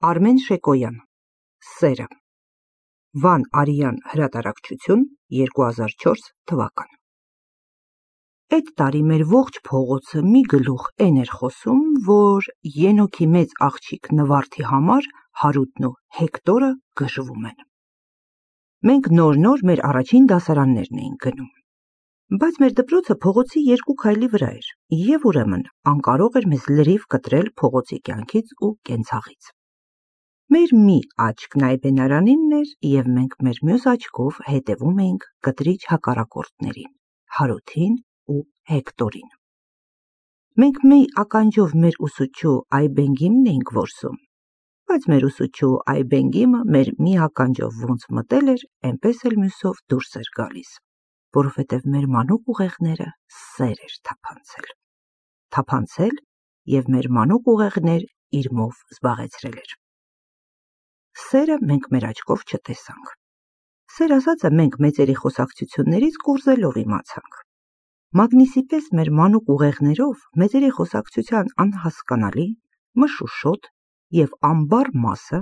Արմեն Շեկոյան, Սերը, Վան Արիյան հրատարակչություն, 2004 թվական։ Այդ տարի մեր ողջ փողոցը մի գլուխ էն էր խոսում, որ Ենոքի մեծ աղջիկ Նվարդի համար Հարութն ու Հեկտորը գժվում են։ Մենք նոր մեր առաջին դասարաններն էինք գնում, բայց մեր դպրոցը փողոցի 2 քայլի վրա էր, և ուրեմն անկարող էր մեզ լրիվ կտրել փողոցի կյանքից ու կենցաղից։ Մեր մի աչքն այբենարանինն էր, և մենք մեր մյուս աչքով հետևում էինք կտրիչ հակառակորդներին, Հարութին ու Հեկտորին։ Մենք մի ականջով մեր ուսուցչու Այբենգիմն էինք որսում, բայց մեր ուսուցչու Այբենգիմը մեր մի ականջով ոնց մտել էր, էնպես էլ մյուսով դուրս էր գալիս, որովհետև մեր մանուկ ուղեղները սեր էր թափանցել, և մեր մանուկ ուղեղներ իրմով զբաղեցրել էր։ Սերը մենք մեր աչքով չտեսանք։ Սեր ասածը մենք մեծերի խոսակցություններից կորզելով իմացանք։ Մագնիսի պես մեր մանուկ ուղեղներով մեծերի խոսակցության անհասկանալի, մշուշոտ և ամբառ մասը,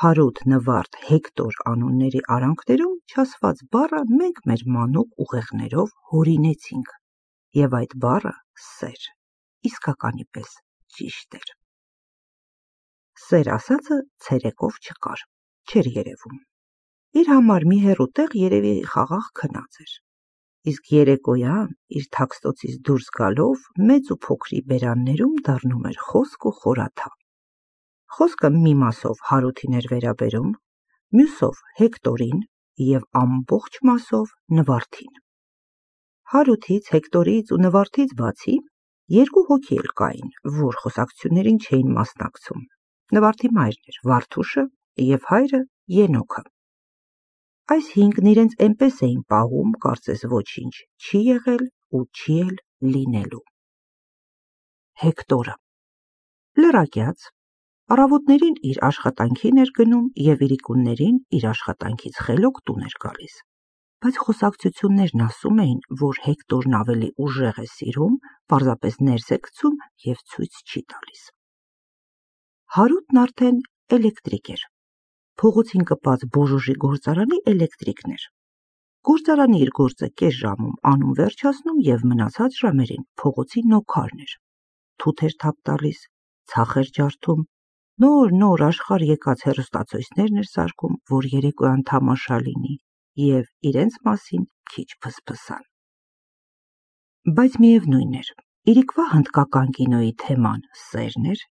Հարութ, Նվարդ, Հեկտոր անունների արանքներում չասված բառը մենք մեր մանուկ ուղեղներով հորինեցինք, և այդ բառը սեր, իսկականի պես ճիշտ էր։ Սեր ասածը ցերեկով չկար, չէր երևում։ Իր համար մի հեռու տեղ երևի խաղաղ քնած էր, իսկ երեկոյան իր թաքստոցից դուրս գալով մեծ ու փոքրի բերաններում դառնում էր խոսք ու խորաթափ։ Խոսքը մի մասով Հարութին էր վերաբերում, մյուսով Հեկտորին և ամբողջ մասով Նվարդին։ Հարութից, Հեկտորից ու Նվարդից բացի 2 հոգի էլ կային, որ խոսակցություններին չէին մասնակցում։ Նվարդի մայրն էր Վարդուշը և հայրը Ենոքը։ Այս 5-ն իրենց էնպես էին պահում, կարծես ոչինչ չի եղել ու չի էլ լինելու։ Հեկտորը լրակյաց, առավոտներին իր աշխատանքին էր գնում և իրիկուններին իր աշխատանքից խելոք տուն էր գալիս, բայց խոսակցություններն ասում էին, որ Հեկտորն ավելի ուժեղ է սիրում, պարզապես ներս է գցում և ցույց չի տալիս։ Հարութն արդեն էլեկտրիկ էր, փողոցին կպած բոժոժի գործարանի էլեկտրիկն էր։ Գործարանի իր գործը կես ժամում անում վերջացնում և մնացած ժամերին փողոցի նոքարն էր։ Թութ էր թափ տալիս, ցախ էր ջարդում, նոր աշխարհ եկած հեռուստացույցներն էր սարքում, որ երեկոյան թամաշա լինի, և իրենց մասին քիչ փսփսան։ Բայց միևնույն էր, իրիկվա հնդկական կինոյի թեման սերն էր,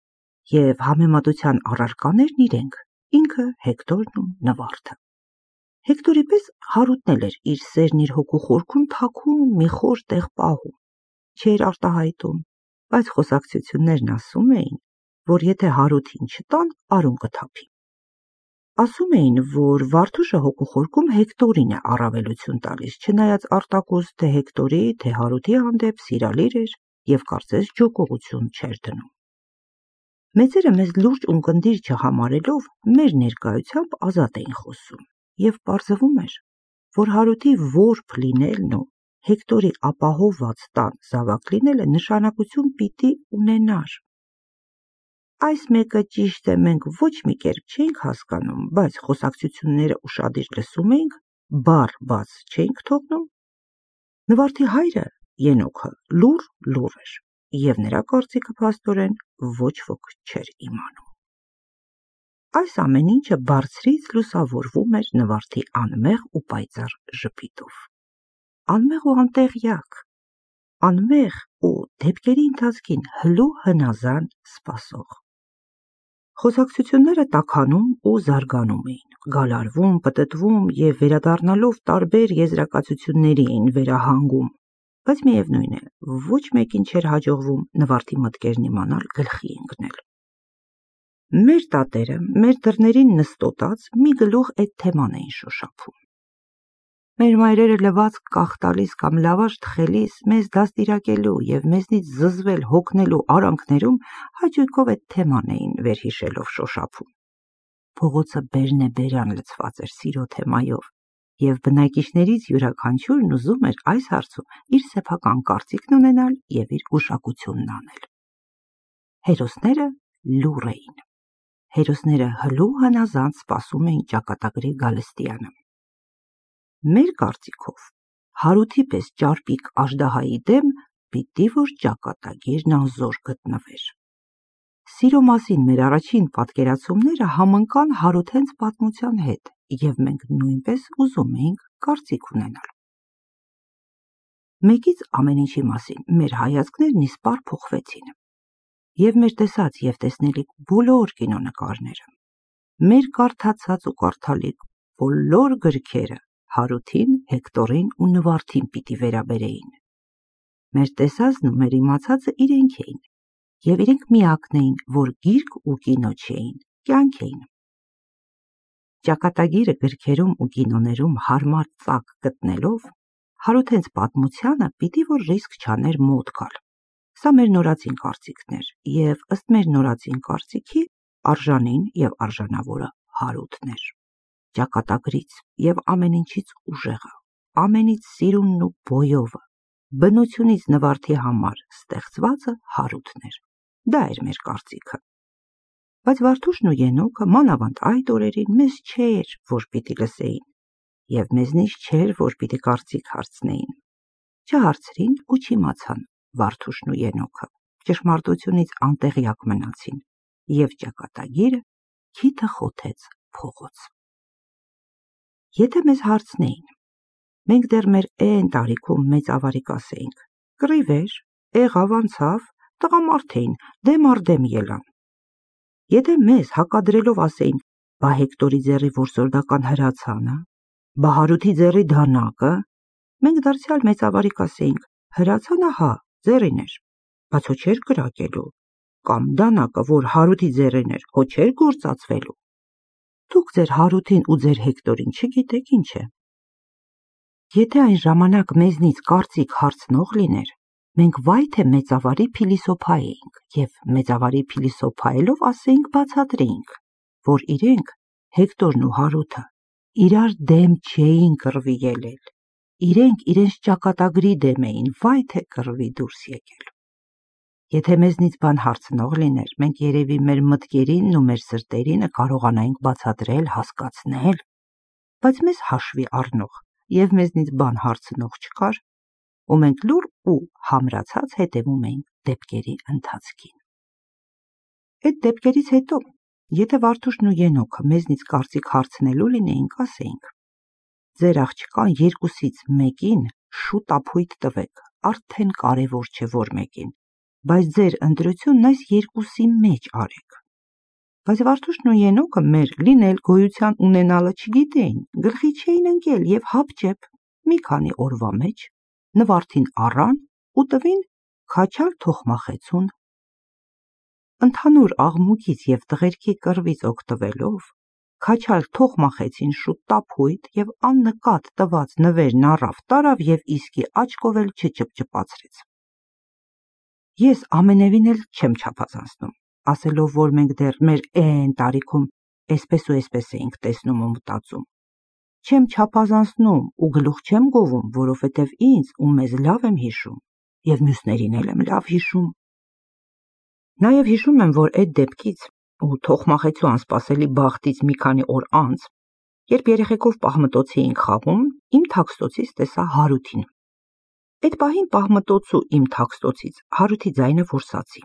և համեմատության առարկաներն իրենք, ինքը Հեկտորն ու Նվարդը։ Հեկտորի պես Հարութն էլ էր իր սերն իր հոգու խորքում թաքում մի խոր տեղ պահում, չէր արտահայտում, բայց խոսակցություններն ասում էին, որ եթե Հարութին չտան, արուն կթափի։ Ասում էին, որ Վարդուշը հոգու խորքում Հեկտորին է առավելություն տալիս, չնայած արտակոս թե Հեկտորի, թե Հարութի հանդեպ սիրալիր էր և կարծես ջոկողություն չէր դնում։ Մեծերը մեզ լուրջ ունկնդիր չհամարելով, մեր ներկայությամբ ազատ էին խոսում, և պարզվում էր, որ Հարութի որբ լինելն ու Հեկտորի ապահովված տան զավակ լինելը նշանակություն պիտի ունենար։ Այս մեկը ճիշտ է մենք ոչ մի կերպ չէինք հասկանում, բայց խոսակցությունները ուշադիր լսում էինք, բառ բաց չէինք թողնում։ Նվարդի հայրը Ենոքը լուռ էր, և նրա կարծիքը փաստորեն ոչ ոք չէր իմանում։ Այս ամեն ինչը բարձրից լուսավորվում էր Նվարդի անմեղ ու պայծառ ժպիտով։ Անմեղ ու անտեղյակ, անմեղ ու դեպքերի ընթացքին հլու հնազան սպասող։ Խոսակցությունները տաքանում ու զարգանում էին, գալարվում, պտտվում և վերադառնալով տարբեր եզրակացությունների էին վերահանգում, բայց միևնույն է, ոչ մեկին չէր հաջողվում Նվարդի մտքերն իմանալ գլխի ընկնել։ Մեր տատերը մեր դռներին նստոտած մի գլուխ այդ թեման էին շոշափում։ Մեր մայրերը լվացք կախ տալիս կամ լավաշ թխելիս մեզ դաստիարակելու և մեզնից զզվել հոգնելու արանքներում հաճույքով այդ թեման էին վերհիշելով շոշափում։ Փողոցը բերնեբերան լցված էր սիրո թեմայով, և բնակիչներից յուրաքանչյուրն ուզում էր այս հարցում իր սեփական կարծիքն ունենալ և իր գուշակությունն անել։ Հերոսները լուռ էին։ հերոսները հլու հնազանդ սպասում էին ճակատագրի գալստյանը։ Մեր կարծիքով, Հարութի պես ճարպիկ աժդահայի դեմ պիտի որ ճակատագիրն անզոր գտնվեր։ Սիրո մասին մեր առաջին պատկերացումները համընկան Հարութենց պատմության հետ, և մենք նույնպես ուզում էինք կարծիք ունենալ։ Մեկից ամեն ինչի մասին մեր հայացքներն իսպառ փոխվեցին, և մեր տեսած և տեսնելիք բոլոր կինոնկարները, մեր կարդացած ու կարդալիք բոլոր գրքերը Հարութին, Հեկտորին ու Նվարդին պիտի վերաբերեին։ Մեր տեսածն ու մեր իմացածը իրենք էին, և իրենք միակն էին, որ գիրք ու կինո չէին, կյանք էին։ Ճակատագիրը գրքերում ու կինոներում հարմար ծակ գտնելով, Հարութենց պատմությանը պիտի որ ռիսկ չաներ մոտ գալ։ Սա մեր նորածին կարծիքն էր, և ըստ մեր նորածին կարծիքի արժանին և արժանավորը Հարութն էր։ Ճակատագրից և ամեն ինչից ուժեղը, ամենից սիրունն ու բոյովը, բնությունից Նվարդի համար ստեղծվածը Հարութն էր։ Դա էր մեր կարծիքը։ Բայց Վարդուշն ու Ենոքը մանավանդ այդ օրերին մեզ չէր, որ պիտի լսեին, և մեզնից չէր, որ պիտի կարծիք հարցնեին։ Չհարցրին ու չիմացան Վարդուշն ու Ենոքը, ճշմարտությունից անտեղյակ մնացին, և ճակատագիրը քիթը խոթեց փողոց։ Եթե մեզ հարցնեին, մենք դեռ մեր էն տարիքում մեծ ավարի կասեինք. կռիվ էր, եղավ անցավ, տղամարդ էին, դեմ առ դեմ ելան։ Եթե մեզ հակադրելով ասեին, բա Հեկտորի ձեռի որսորդական հրացանը, բա Հարութի ձեռի դանակը, մենք դարձյալ մեծ ավարի կասեինք, հրացանը հա, ձեռին էր, բայց հո չէր կրակելու, կամ դանակը, որ Հարութի ձեռին էր, հո չէր գործածվելու։ Դուք ձեր Հարութին ու ձեր Հեկտորին չգիտեք ինչ է։ Եթե այն ժամանակ մեզնից կարծիք հարցնող լիներ, մենք վայ թե մեծավարի փիլիսոփա էինք, և մեծավարի փիլիսոփայելով ասեինք բացատրեինք, որ իրենք, Հեկտորն ու Հարութը, իրար դեմ չէին կռվի ելել, իրենք իրենց ճակատագրի դեմ էին, վայ թե կռվի դուրս եկել։ Եթե մեզնից բան հարցնող լիներ, մենք երևի մեր մտքերինն ու մեր սրտերինը կարողանայինք բացատրել, հասկացնել, բայց մեզ հաշվի առնող և մեզնից բան հարցնող չկար, ու մենք լուռ ու համրացած հետևում էինք դեպքերի ընթացքին։ Այդ դեպքերից հետո, եթե Վարդուշն ու Ենոքը մեզնից կարծիք հարցնելու լինեին, կասեինք. ձեր աղջկան երկուսից մեկին շուտ ապույտ տվեք, արդեն կարևոր չէ որ մեկին, բայց ձեր ընտրությունն այս երկուսի մեջ արեք։ Բայց Վարդուշն ու Ենոքը մեր լինել գոյության ունենալը չգիտեին, գլխի չէին ընկել և հապճեպ մի քանի օրվա մեջ Նվարդին առան ու տվին քաչալ թոխմախեցուն։ Ընդհանուր աղմուկից և տղերքի կռվից օգտվելով, քաչալ թոխմախեցին շուտ տափույտ և աննկատ տված նվերն առավ տարավ և իսկի աչքով էլ չճպճպացրեց։ Ես ամենևին էլ չեմ չափազանցնում, ասելով, որ մենք դեռ մեր էն տարիքում էսպես ու էսպես էինք տեսնում ու մտածում։ Չեմ չափազանցնում ու գլուխ չեմ գովում, որովհետև ինձ ու մեզ լավ եմ հիշում, և մյուսներին էլ եմ լավ հիշում։ Նաև հիշում եմ, որ այդ դեպքից ու թոխմախեցու անսպասելի բախտից մի քանի օր անց, երբ երեխեքով պահմտոցի էինք խաղում, իմ թաքստոցից տեսա Հարութին։ Այդ պահին պահմտոցու իմ թաքստոցից Հարութի ձայնը որսացի։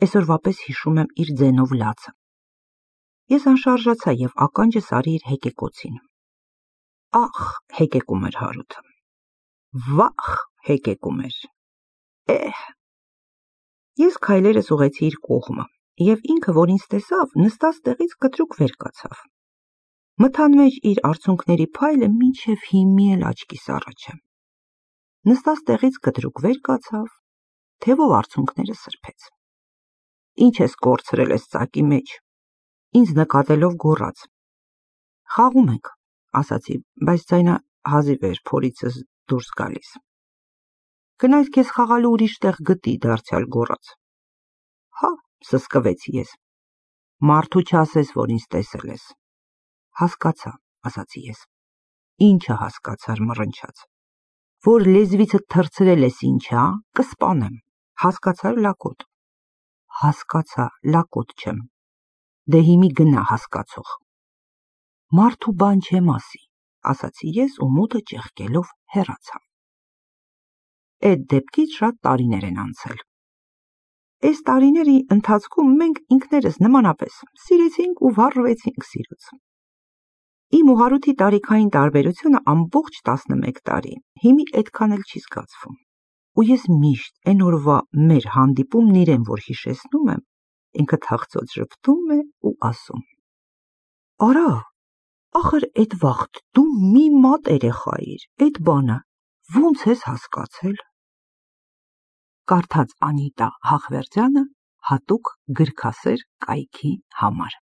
Այսօրվա պես հիշում եմ իր ձենով լացը։ Ես անշարժացա և ականջս արի իր հեկեկոցին։ Ախ, հեկեկում էր Հարութը։ Վախ, հեկեկում էր։ Ես քայլերս ուղղեցի իր կողմը, և ինքը, որ ինձ տեսավ, նստած տեղից կտրուկ վեր կացավ։ Մթան մեջ իր արցունքների փայլը մինչև հիմի էլ աչքիս առաջ է։ Նստած տեղից կտրուկ վեր կացավ, թևով արցունքները սրբեց։ Ինչ ես կորցրել ես ծակի մեջ, ինձ նկատելով գոռաց։ Խաղում ենք, ասացի, բայց ձայնը հազիվ էր փորիցս դուրս գալիս։ Գնայր քեզ խաղալու ուրիշ տեղ գտի, դարձյալ գոռաց։ Հա, սսկվեցի ես։ Մարդու չասես, որ ինձ տեսել ես։ Հասկացա, ասացի ես։ Ինչը հասկացար, մռնչաց։ Որ լեզվիցդ թռցրել ես ինչ, հա, կսպանեմ։ Հասկացար, լակոտ։ Հասկացա, լակոտ չեմ։ Դե հիմի գնա հասկացող։ Մարդու բան չեմ ասի, ասացի ես ու մոտը ճեղքելով հեռացա։ Այդ դեպքից շատ տարիներ են անցել։ Այս տարիների ընթացքում մենք ինքներս նմանապես սիրեցինք ու վառվեցինք սիրուց։ Իմ ու Հարութի տարիքային տարբերությունը ամբողջ 11 տարի, հիմի այդքան էլ չի զգացվում։ Ու ես միշտ այն օրվա մեր հանդիպումն իրեն որ հիշեցնում եմ, ինքը թախծոց ժպտում է ու ասում. Արա, ախր այդ վաղտ դու մի մատ երեխա էիր, այդ բանը ոնց ես հասկացել։ Կարդաց Անիտա Հախվերդյանը հատուկ գրքասեր կայքի համար։